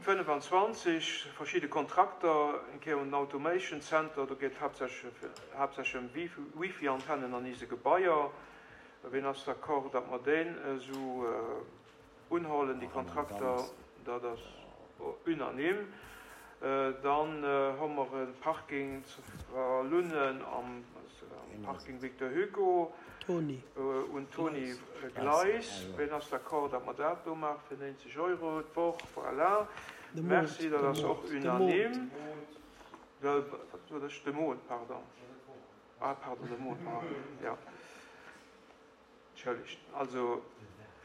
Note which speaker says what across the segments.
Speaker 1: Punkt 25, verschidde Kontrakter, eng Kéier un den Automation Center, do geet et haaptsächlech ëm Wifi-Antennen an ise Gebaier. Ween ass d'accord, datt mer deen esou unhollen, déi Kontrakter? Dat ass unanime. Dann hu mer e Parking zu Vallunnen am Parking Victor Hugo un d'Tony Gleis. Ween ass d'accord, datt mer dat do maache fir 90 Euro d'Woch? Voilà. Merci, dat ass och unanime. Wat sot ech? De Mont, pardon. Ah, pardon, de Mont, jo. Entschëllegt. Also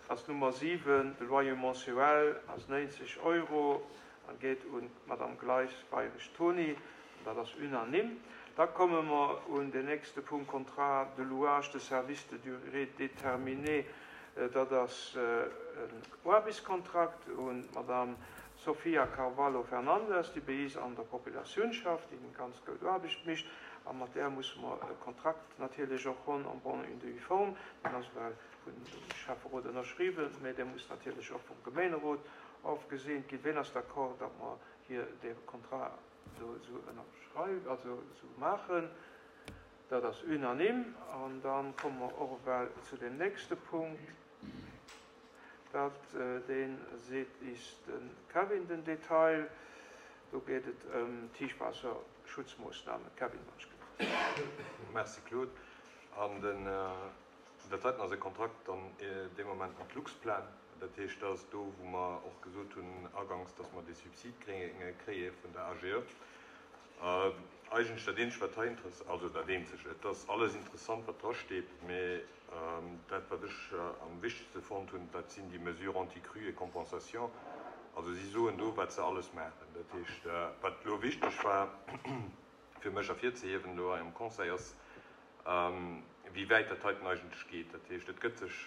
Speaker 1: ass d'Nummer 7, de Loyer mensuel ass 90 Euro a geet un d'Madame Gleis Weirich Tony. An dat ass unanime. Da komme mer un den nächste Punkt, Contrat de louage de services de durée déterminée. Dat ass en Aarbechtskontrakt un d'Madame Sofia Carvalho Fernandes, déi bei is an der Populatioun schafft, déi eng ganz goud Aarbecht mécht. A mat där musse mer e Kontrakt natierlech och hunn en bonne et due forme. Deen ass ewell vun dem Schäfferot ënnerschriwwen, mä dee muss natierlech och vum Gemeenerot ofgeseent ginn. Ween ass d'accord, datt mer hier dee Contrat do esou ënnerschreiwen, also esou maachen? Dat ass unanime. An da komme mer och ewell zu deem nächste Punkt. Dat, dee seet is de Kevin den Detail. Do geet et ëm d'Tiefwaasserschutzmoossnamen. Kevin, wann ech gelift.
Speaker 2: Merci Claude. An den, dat heiten ass e Kontrakt dann dee Moment mat Luxplan. Dat heescht, dat ass do, wou mer och gesot hunn aganks, dass mer dee Subsid kréie vun der AGE. Eigentlech dat eenzegt, wat hei interess-, also dat eenzegt, et ass alles interessant, wat drasteet, mee Dat, wat ech am wichtegste fonnt hunn, dat sinn déi Mesures anti-crue et compensation. Also si soen do, wat se alles maachen. Dat heescht, wat elo wichteg war fir mech ervirzehiewen elo hei am Conseil, ass, wéi wäit dat heiten eigentlech geet. Dat heescht, et gëtt sech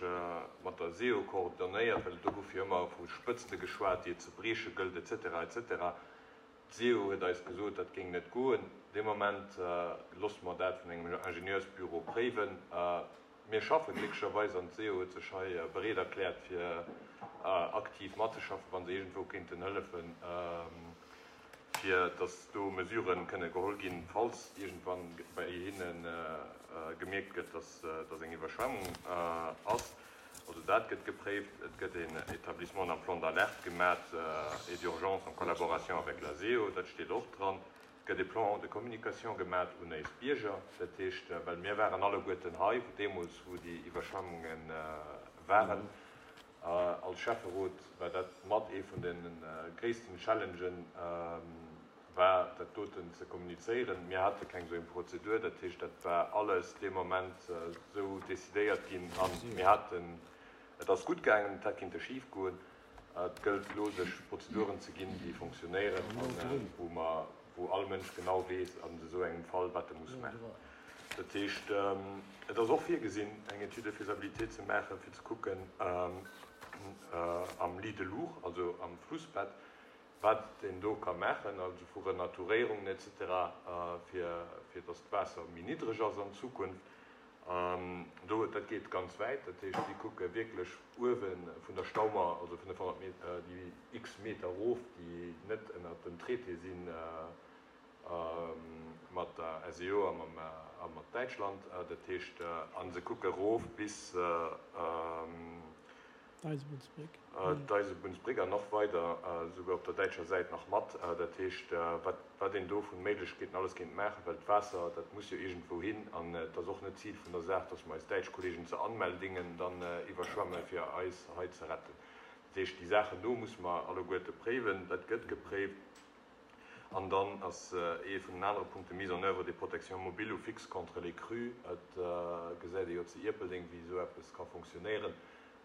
Speaker 2: mat der SEO coordonnéiert, well do gouf jo ëmmer vu Spëtzte geschwat, déi et ze brieche gëllt, et cetera, et cetera. D'SEO huet eis gesot, dat géing net goen. Dee Moment loosse mer dat vun engem Ingenieursbüro préiwen. Mir schaffe glécklecherweis, an d'SEO huet sech hei bereet erkläert, fir aktiv matzeschaffen, wa se iergendwou kéinten hëllefen, fir datt do Mesurë kënne geholl ginn, falls iergendwann bei hinne gemierkt gëtt, datt eng Iwwerschwemmung ass. Also dat gëtt gepréift. Et gëtt een Établissement d'un plan d'alerte gemat et d'urgence en collaboration avec la SEO, dat steet och dran. Et gëtt e Plan de communication gemat un éis Bierger. Dat heescht, well mir waren alleguerten hei deemools, wou déi Iwwerschwemmunge waren. Als Schäfferot war dat mat ee vun de gréissten Challengen, war dat doten ze kommunizéieren. Mir hate keng esou eng Prozedur, dat heescht, dat war alles dee Moment esou decidéiert ginn a mir haten, et ass gutt gaangen, et hätt kinnte schif goen. Et gëllt elo sech Prozeduren ze ginn, déi fonctionnéieren a wou mer, wou all Mënsch genau weess an esou engem Fall, wat e muss maachen. Dat heescht, et ass och virgesinn, eng Étude de faisabilité ze maachen, fir ze kucken am Lit de l'Our, also am Flussbett, wat een do ka maachen, also vu Renaturéierungen et cetera, fir fir datt d'Waasser méi niddreg ass an Zukunft. Do, dat geet ganz wäit, dat heescht, si kucke wierklech uewe vun der Staumauer, also 500 Meter, déi x Meter erof, déi net ënnert dem Traité sinn mat der SEO a mam a mat Däitschland, dat heescht, a se kucke erof bis,
Speaker 3: D'Eisebunnsbréck.
Speaker 2: D'Eisebunnsbréck an nach weider, souguer op der däitscher Säit nach mat. Dat heescht, wat, wat een do vu Méiglechkeeten alles kéint maachen, well d'Waasser, dat muss jo iergendwou hin. An et ass och net d'Zil vun der Saach, dass mer eis däitsch Kollegen zu Anmeldingen dann iwwerschwemmen, fir eis hei ze retten. Dat heescht, déi Saachen do musse mer alleguerte préiwen. Dat gëtt gepréift. An dann ass ee vun den anere Punkte Mise en œuvre des protections mobiles ou fixes contre les crues. Et gesäit ee jo zu Ierpeldeng, wéi esou eppes ka fonctionnéieren.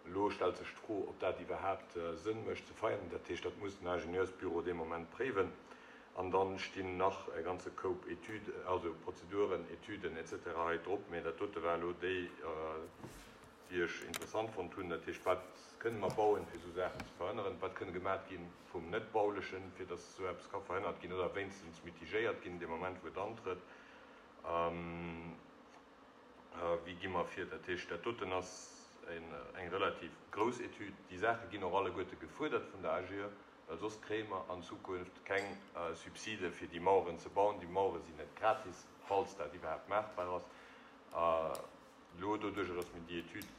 Speaker 2: Elo stellt sech d'Fro, ob dat iwwerhaapt Sënn mécht ze feieren. Dat heescht, dat muss den Ingenieursbüro dee Moment préiwen. An da stinn nach e ganze Koup Etüden, also Prozeduren, Etüden et cetera hei drop. Mä dat dote war elo déi, déi ech interessant fonnt hunn. Dat heescht, wat kënne mer bauen, fir esou Saachen ze verhënneren? Wat kënne gemat gi vum Net-Baulechen, fir datt esou eppes ka verhënnert ginn oder wéinstens mitigéiert ginn dee Moment, wou et antrëtt? Wéi gi mer vir? Dat heescht, dat doten ass eng relativ grouss Etüd. Déi Saache ginn och alleguerte gefuerdert vun der AGE. Well soss kréie mer an Zukunft keng Subside fir déi Maueren ze bauen. Déi Mauere sinn net gratis, falls dat iwwerhaapt maachbar ass. Elo doduerjer, datt mir déi Etüd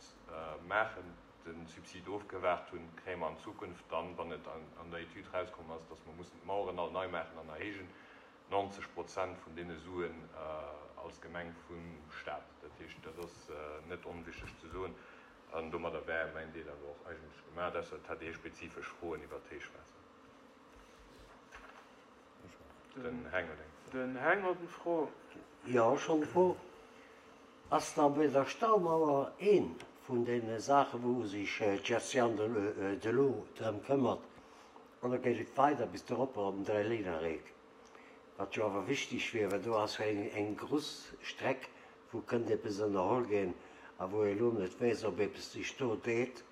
Speaker 2: maachen, de Subsid ofgewaart hunn, kréie mer an Zukunft dann, wann et an der Etüd erauskomm ass, datt mer mussen d'Maueren all nei maachen an erhéijen, 90 Prozent vun deene Suen als Gemeng vum Stat. Dat heescht, dat ass net onwichteg ze soen. An domadder wär mäin Deel awer och eigentlech gemaach, ausser et hätt ee spezifesch Froen iwwert d'Héichwaasser. Den Heng huet eng
Speaker 1: Fro. Den Heng huet eng Fro.
Speaker 3: Jo, ech hunn eng Fro. Ass da bei der Staumauer ee vun deene Saache wou sech d'Gestion de l'eau drëm këmmert, oder geet et weider bis doropper op den Dräilännereck, wat jo awer wichteg wier, well do ass jo eng gruss Streck wou kënnt eppes ënnerholl ginn a wou ee lo net weess, ob eppes sech do deet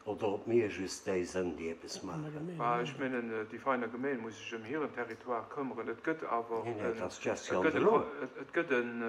Speaker 3: oder ob mir just déi sënn, déi eppes maachen.
Speaker 1: Bah, ech mengen, déi Veiner Gemeen muss sech ëm hiren Territoire këmmeren. Et gëtt awer en, et gëtt en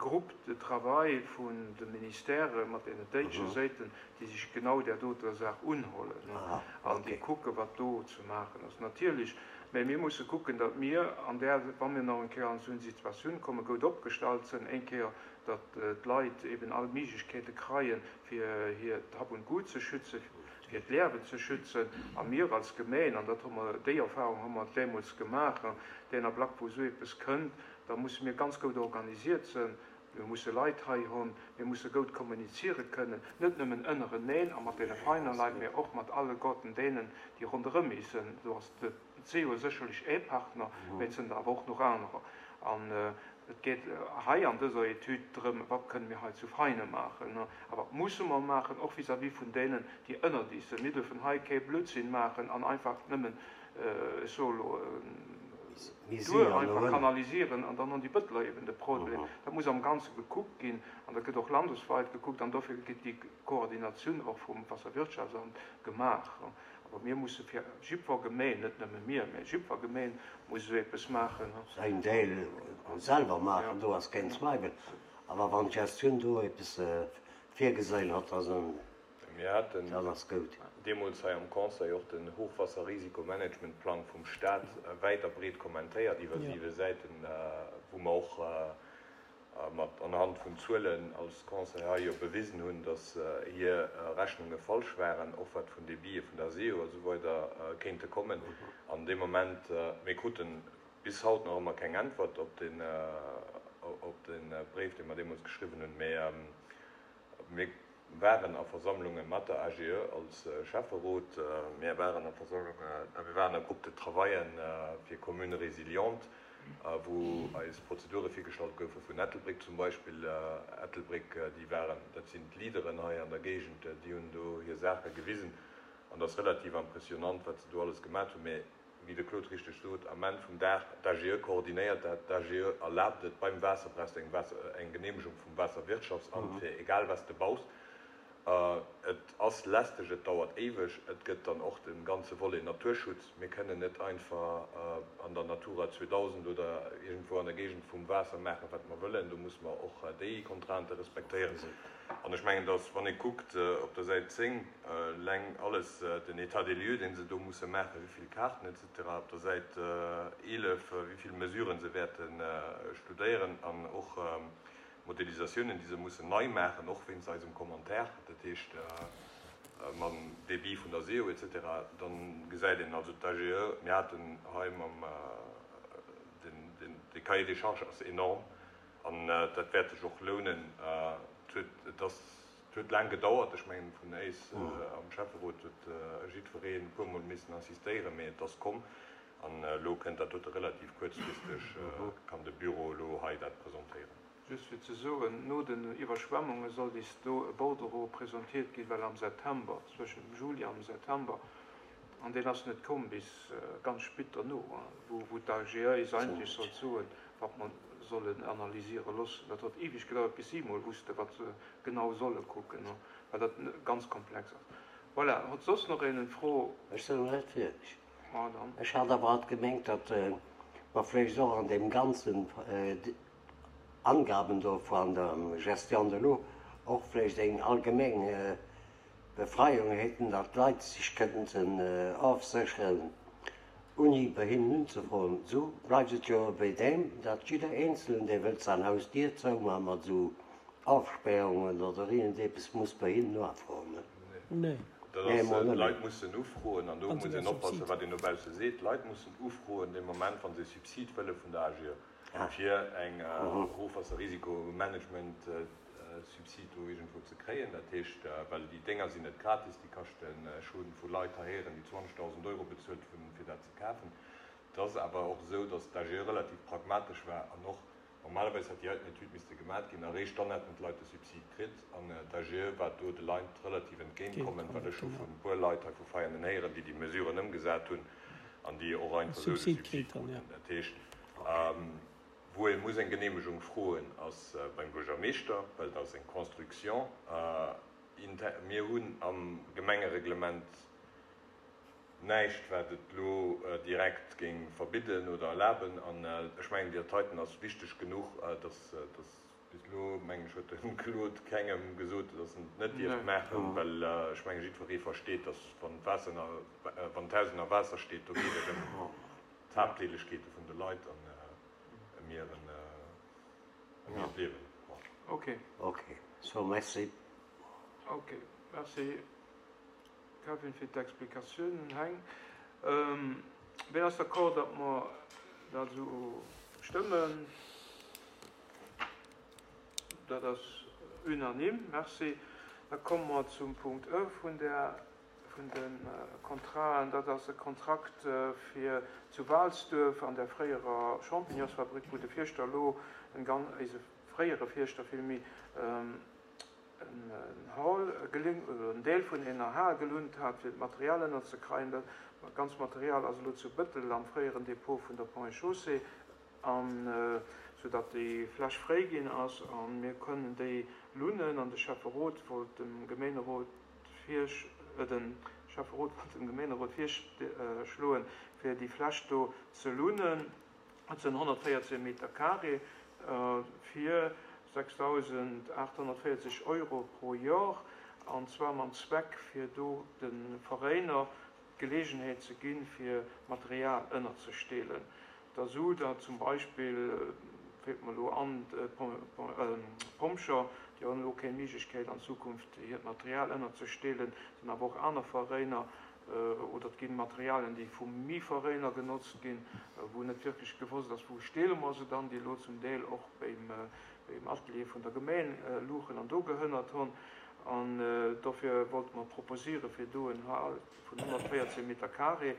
Speaker 1: Groupe de travail vun de Ministèrë mat deenen déitsche Séiten, déi sech genau där doter Saach unhollen an déi kucken, wat do ze maachen ass. Natierlech Mä mir musse kucken, datt mir an där, wa mir nach eng Kéier an esou eng Situatioun kommen, goud opgestallt sënn, eng Kéier, datt d'Leit eben all Méiglechkeete kreien, fir hiert Hab und Gut ze schützen, fir hiert Lerwen ze schützen. A mir als Gemeen, an dat hu mer, déi Erfahrung hu mer deemools gemaach, deen Ablack, wou esou eppes kënnt, da musse mir ganz goud organisiert sënn, Mir musse Leit hei hunn, mir musse goud kommuniziere kënnen, net nëmmen ënnereneen a mat deene feiner Leit, mä och mat alleguerten deenen, déi ronderëm eis sënn. Do ass de CEO sécherlech ee Partner, mä et sënn der awer och nach anerer. An et geet hei an dëser Etüd drëm, Wat kënne mir hei zu Veinen maachen a wat musse mer maachen, och vis-à-vis vun deenen, déi ënnert eis sënn. Mir dürfen hei kee Blödsinn maachen an einfach nëmmen, ech soe elo, duer einfach kanalisieren an dann hunn déi Bëtteler eben de Problem. Dat muss am Ganze gekuckt ginn an dat gëtt och landesweit gekuckt an dofir gëtt déi Koordinatioun och vum Wasserwirtschaftsamt gemaach. Awer mir musse fir jiddwer Gemeen, net nëmme mir, mä jiddwer Gemeen muss esou eppes maachen.
Speaker 3: Säin Deel selwer maachen, do ass keen Zweiwel. Awer wann d'Gestioun do eppes virgeséin hat, da
Speaker 2: Mir haten deemools hei am Conseil och den Hochwasserrisikomanagementplang vum Stat wäit a breet kommentéiert iwwer siwe Säiten, wou mer och mat anhand vun Zuelen als Conseil hei jo bewisen hunn, dass hir Rechnunge falsch waren, och wat vun Débite vun der SEO a sou weider kéinte kommen. An dee Moment, mir kruten bis haut nach ëmmer keng Äntwert op de Bréif, dee mer deemools geschriwwen hunn, mä mir waren a Versammlunge mat der AGE als Schäfferot, mir waren a Versammlunge, mir waren a Groupes de travaillen fir Communes résilientes, wou eis Prozedure virgestallt goufe vun Ettelbréck zum Beispill. Ettelbréck, déi waren, dat sinn d'Leaderen hei an der Géigend, déi hunn do hir Saache gewisen an dat ass relativ impressionnant, wat se do alles gemat hunn. Mä wéi de Claude richteg sot, am Enn vum Dag, d'AGE koordinéiert dat, d'AGE erlaabt et beim Waasser, brauchs de eng Geneemegung vum Waasserwirtschaftsamt fir egal wat s de baus. Et ass lästeg, et dauert éiweg, et gëtt dann och de ganze Volet Naturschutz. Mir kënnen net einfach an der Natura 2000 oder iergendwou an der Géigend vum Waasser maachen, wat mer wëllen. Do musse mer och déi Contraintë respektéieren. An ech mengen, dass, wann ee kuckt op der Säit 10 eleng alles, den État des lieux, dee se do musse maachen, wéi vill Kaarten et cetera, op der Säit 11, wéi vill Mesuren se wäerte studéieren an och Modelisatiounen, déi se mussen nei maachen, och wéinst eisem Commentaire, dat heescht mam Débit vun der SEO et cetera, dann gesäit een also d'AGE, mir haten hei mam, den, de Cahier des charges ass enorm an dat wäert sech och lounen. Et huet, et ass, et huet laang gedauert, ech mengen vun éis am Schäfferot huet jiddwereen e puermol missen insistéieren, mee et ass komm an elo kënnt dat dote relativ kuerzfristeg, kann de Büro elo hei dat presentéieren.
Speaker 1: Just fir ze soen, no den Iwwerschwemmunge soll bis do e Bordereau presentiert ginn, well am September, zwëschen dem Juli an dem September, an deen ass net komm bis ganz spit derno, wou d'AGE eis eigentlech sollt soen, wat mer sollen analysiere loossen. Dat huet eweg gedauert, bis si emol wussten, wat se genau solle kucken, well dat ganz komplex ass. Voilà, huet soss nach een eng Fro?
Speaker 3: Ech sinn nach net fierdeg. Ech hat awer alt gemengt, datt mer vläicht och an deem ganzen Angaben do vun der Gestion de l'eau och vläicht eng allgemeng. Befreiung hätten, datt d'Leit sech kënnten ofsécheren, ouni bei hinnen unzefroen. Esou bleift et jo bei deem, datt jidder Eenzelen, dee wëllt säin Haus d'Dier zoumaachen mat esou Ofspärungen oder iergendepes, muss bei hinnen nofroen.
Speaker 2: Nee. Dat ass, d'Leit mussen ufroen, an do muss een oppassen, wat een dobausse seet, d'Leit mussen ufroen dee Moment, wa se e Subsid wëlle vun der AGE fir eng Ofwaasserrisikomanagement-Subsid do iergendwou ze kréien. Dat heescht, well déi Dénger sinn net gratis, déi kaschten, ech hu vu Leit hei héieren, déi 20.000 Euro bezuelt hunn, fir dat ze kafen. Et ass awer och esou, datt d'AGE relativ pragmatesch war an och Normalerweis hätt déi heiten Etüd misste gemat ginn, eréischt dann hätten d'Leit de Subsid kritt. An d'AGE war do de Leit relativ entgéint kommen, well ech hu vun e puer Leit hei vu Veianen héieren, déi déi Mesuren ëmgesat hunn an déi och einfach esou de Subsid kruten. Dat heescht, wou ee muss eng Genehmegung froen, ass beim Buergermeeschter, well dat ass eng Construction. Mir hunn am Gemengereglement Näischt, wat et elo direkt géing verbidden oder erlaben. An ech mengen, déi heiten ass wichteg genuch, dass, dass bis elo, mengen ech, huet de Claude kengem gesot, dass en et net dierft maachen, well ech mengen, jiddweree versteet, dass wann d'Waasser ënner, wann d'Haus ënner Waasser steet, do geet et ëm d'Habdelegkeete vun de Leit an ëm hiren, ëm hiert Liewen.
Speaker 1: Ok.
Speaker 3: Ok, so merci.
Speaker 1: Ok, merci. Kevin fir d'Explikatiounen. Heng, ween ass d'accord, datt mer dat esou stëmmen? Dat ass unanime. Merci. Da komme mer zum Punkt E vun der, vun de Contraten. Dat ass e Kontrakt fir zu Waalsduerf an der fréierer Champignonsfabrik, wou de Fierschter elo en gan-, eise fréiere Fierschter villméi, en Hall en Deel vun ener Hal gelunt hat, fir d'Material ënnerzekreien. Dat ganz Material ass elo zu Bëttel am fréieren Depot vun der Ponts et Chaussées, an sou datt déi Fläch fréi ginn ass a mir kënnen déi lunnen. An de Schäfferot wollt dem Gemeenerot virsch de Schäfferot wollt dem Gemeenerot virschloen, fir déi Fläch do ze lunnen. Et sënn 114 Meter carré fir 6.840 Euro pro Jor, an zwar mam Zweck fir do de Veräiner d'Geleegenheet ze ginn, fir Material ënnerzesteelen. Da sou datt zum Beispill, fält mer elo an, d'Pompjer, déi hunn elo kéng Méiglechkeet an Zukunft hiert Material ënnerzesteelen, sinn awer och aner Veräiner, Oder et gi Materialien, déi vu Miveräiner genotzt ginn, wou net wierklech gewosst ass, wou steele mer se dann, déi elo zum Deel och beim Atelier vun der Gemeng luchen an do gehënnert hunn. An dofir wollte mer proposiere fir do en Hal vun 114 Meter carré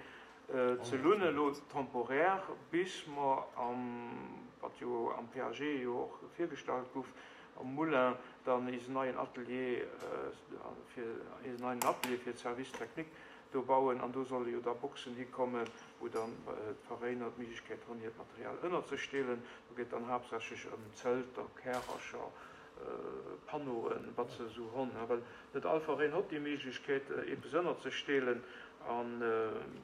Speaker 1: ze lunnen, elo temporaire, bis mer am, wat jo am PAG jo och virgestallt guff, am Moulin dann eisen neien Atelier fir eisen neien Atelier fir d'Service technique do bauen an do solle jo da Boxen hikommen, wou dann d'Veräiner d'Méiglechkeet hunn hiert Material ënnerzesteelen. Do geet dann haaptsächlech ëm Zelter, Kärercher, Panneauen, wat se esou honn, well net all Veräin hott déi Méiglechkeet eppes ënnerzesteelen a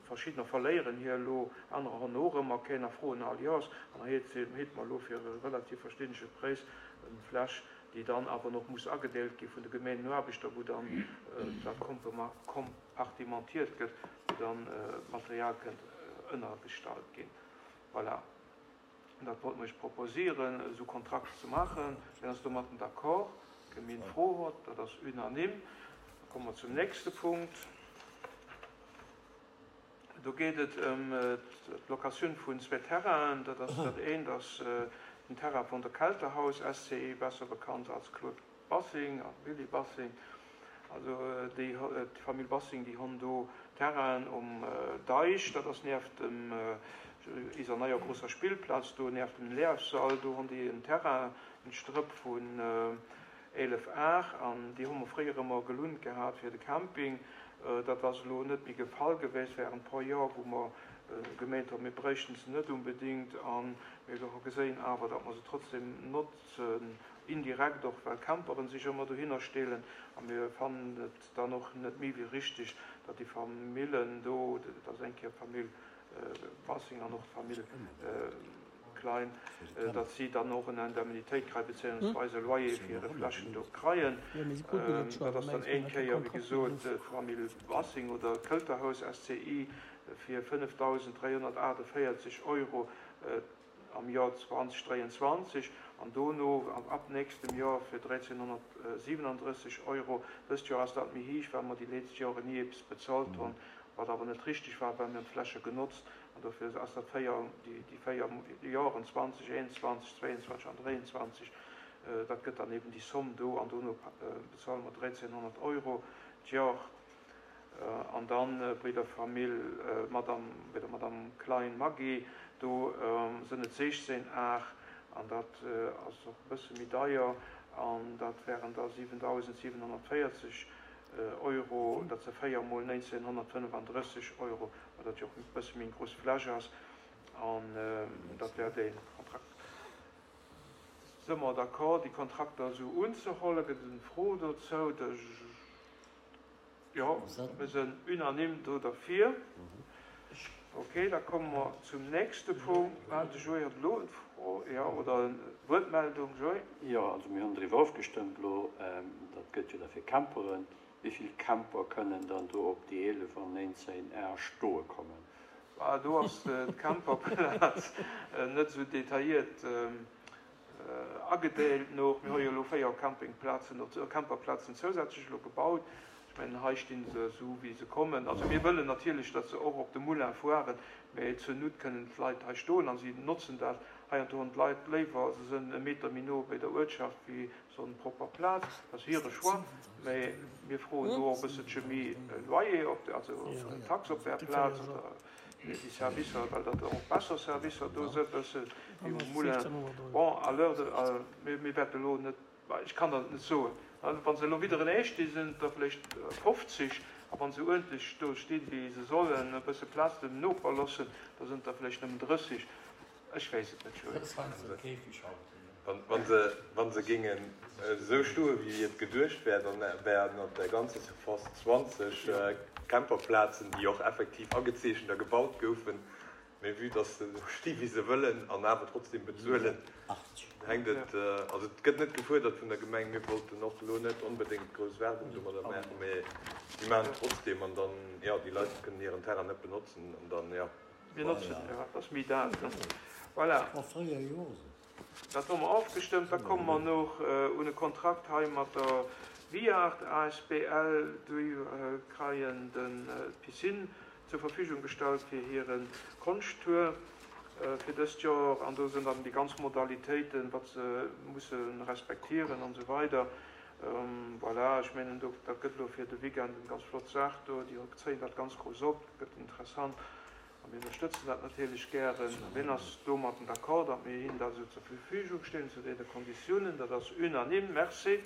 Speaker 1: verschiddener verléieren hir elo, anerer honn och ëmmer keen a froen all Joers an da heet mer elo fir e relativ verstännege Präis eng Fläch, déi dann awer nach muss agedeelt gi vun de Gemeengenaarbechter, wou dann dat kompartimentiert gëtt, wou dann d'Material kënnt ënnergestallt ginn. Voilà, dat wollte mer Iech proposieren, esou Kontrakter ze maachen. Wien ass domatten d'accord? Kee méi eng Fro huet? Dat ass unanime. Da komme mer zum nächste Punkt. Do geet et ëm d'Locatioun vun zwee Terrainen. Dat ass dat eent ass den Terrain vun der Kelterhaus SCI, besser bekannt als Claude Bassing a Willy Bassing. Also déi d'Famill Bassing, déi honn do Terrainen um Deich, dat ass nieft dem iser neier grosser Spillplaz do, nieft dem Lehrssall, do honn déi en Terrain, en Strëpp vun 11 Ar, an déi hu mer fréier ëmmer gelunt gehat fir de Camping. Dat ass elo net méi de Fall geweest während e puer Joer, wou mer gemeent hunn, mir bréichten se net unbedingt. A mir hu geséin awer, datt mer se trotzdem notzen, indirekt och, well Camperen sech ëmmer dohinner steelen. A mir fannen et dann och net méi wéi richtig, datt déi Famillen do, dat ass eng Kéier d'Famill Bassing an och d'Famill. Klein, datt si dann och en Indemnitéit kréien, bezéiungsweis e Loyer fir hire Flächen do kreien. Dat ass dann éng Kéier, wéi gesot, d'Famill Bassing oder d'Këlterhaus SCI fir 5.348 Euro am Joer 2023 an dono ab nächstem Joer fir 1.337 Euro. Dëst Joer ass dat méi héich, well mer déi letzt Joren ni eppes bezahlt hunn, wat awer net richtig war, well mir hunn d'Fläche genotzt an dofir ass dat 4, déi 4 Joren, 20, 21, 22 an 23, dat gëtt dann eben déi Somm do an dono bezuele mer 1.300 Euro d'Jor. An dann bei der Famill Madame, bei der Madame Klein Maggy, do sënn et 16 Ar an dat ass och e bësse méi deier an dat wären da 7.740 Euro, dat se 4 mol 1.935 Euro, well dat jo och e bësse méi eng grouss Fläch ass an dat wär dee Kontrakt. Së mer d'accord, déi Kontrakter esou unzehollen? Gëtt et eng Fro dozou? De. Jo, mir sënn unanime do derfir. Ok, da komme mer zum nächste Punkt. Ah, de Joé huet elo eng Fro, jo, oder eng Wuertmeldung. Joé?
Speaker 4: Jo, also mir hunn driwwer ofgestëmmt elo, dat gëtt jo da fir Camperen. Wéi vill Camper kënnen dann do op déi 11 an 19 Ar stoe kommen?
Speaker 1: Ah, do ass d'Camperplaz net esou detailliert Agedeelt no, mir hu jo elo 4 Campingplazen, Camperplazen zousätzlech elo gebaut. Ech mengen, hei sti se esou wéi se kommen. Also mir wëllen natierlech, datt se och op de Moulin fueren, mä zur Nout kënnen d'Leit hei stoen a si notzen dat. Heiansdo hunn d'Leit léiwer, se sënn e Meter méi no bei der Uertschaft wéi esou eng propper Plaz. Dat ass hire Choix, mä mir froen do och e bësselche méi Loyer op, also Tax op där Plaz oder Déi Servicer, well dat och besser Servicer do sënn, bësse wéi um Moulin. Bon, à l'heure de, mir wäerte elo net, ech kann dat net soen, wa se elo widderenee sti sinn et der vläicht 50, a wa se uerdentlech do stinn, wéi se sollen, e bësse Plaz dem Noper loossen, da sinn et der vläicht nëmmen 30. Ech weess et net, Joé.
Speaker 2: Wa se géingen esou stoe wéi et geduecht wär, dann wären op der ganzer Surface 20 Camperplazen, déi och effektiv agezeechent a gebaut goufen. Mee vue dass se esou sti wéi se wëllen an awer trotzdem bezuelen, hänkt et, also et gëtt net gefuerdert vun der Gemeng. Mir wollten och elo net onbedéngt grouss Werbung domadder maachen, mee si maachen et trotzdem an dann, jo, déi Leit kënnen hiren Terrain net benotzen an dann, jo.
Speaker 1: Mir notzen, jo, dat ass méi dat. Voilà. Dat hu mer ofgestëmmt. Da komme mer noch un e Kontrakt hei mat der Viart asbl. Déi kreien d'Piscine zur Verfügung gestallt fir hire Konschttour fir dëst Joer. An do sinn dann déi ganz Modalitéiten, wat se musse respektieren an esou weider. Voilà, ech mengen, dat gëtt elo fir de Weekend eng ganz flott Saach do. Déi zéien dat ganz grouss op, dat gëtt interessant. A mir ënnerstëtzen dat natierlech gären. Wien ass domatten d'accord, datt mir hinnen dat esou zur Verfügung stellen, zu deene Konditiounen? Dat ass unanime. Merci.